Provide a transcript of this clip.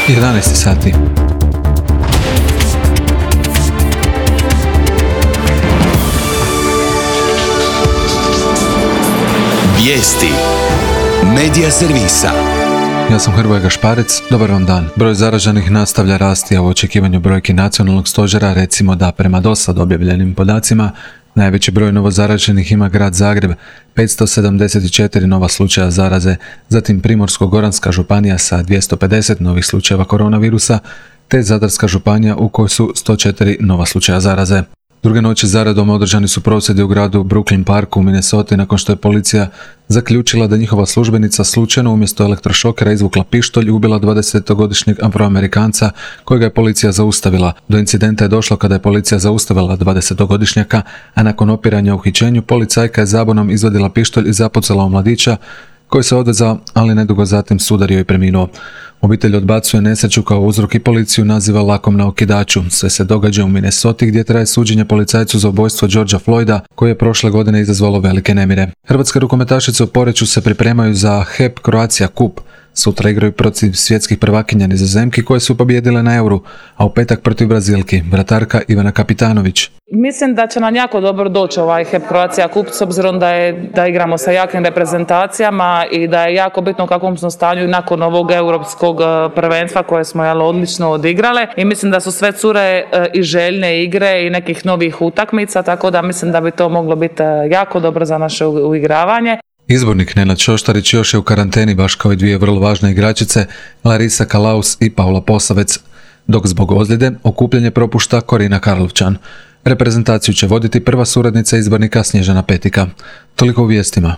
11 sati. Vijesti Medija servisa. Ja sam Hrvoje Gašparec, dobar vam dan. Broj zaraženih nastavlja rasti, a u očekivanju brojki nacionalnog stožera recimo da prema dosad objavljenim podacima najveći broj novozaraženih ima grad Zagreb, 574 nova slučaja zaraze, zatim Primorsko-goranska županija sa 250 novih slučajeva koronavirusa, te Zadarska županija u kojoj su 104 nova slučaja zaraze. Druge noći zaredom održani su prosvjedi u gradu Brooklyn Parku u Minnesoti nakon što je policija zaključila da njihova službenica slučajno umjesto elektrošokera izvukla pištolj i ubila 20-godišnjeg Afroamerikanca kojega je policija zaustavila. Do incidenta je došlo kada je policija zaustavila 20-godišnjaka, a nakon opiranja u uhićenju policajka je zabonom izvadila pištolj i zapucala u mladića koji se odvezao, ali nedugo zatim sudario i preminuo. Obitelj odbacuje nesreću kao uzrok i policiju naziva lakom na okidaču. Sve se događa u Minnesoti gdje traje suđenje policajcu za ubojstvo Georgea Floyda koje je prošle godine izazvalo velike nemire. Hrvatske rukometašice u Poreču se pripremaju za HEP Croatia Cup. Sutra igraju protiv svjetskih prvakinja Nizozemki koje su pobijedile na Euru, a u petak protiv Brazilki, vratarka Ivana Kapitanović. Mislim da će nam jako dobro doći ovaj HEP Croatia Cup s obzirom da igramo sa jakim reprezentacijama i da je jako bitno u kakvom smo stanju nakon ovog europskog prvenstva koje smo odlično odigrale i mislim da su sve cure i željne igre i nekih novih utakmica, tako da mislim da bi to moglo biti jako dobro za naše uigravanje. Izbornik Nenad Šoštarić još je u karanteni baš kao i dvije vrlo važne igračice, Larisa Kalaus i Paula Posavec, dok zbog ozljede okupljanje propušta Korina Karlovčan. Reprezentaciju će voditi prva suradnica izbornika Snježana Petika. Toliko u vijestima.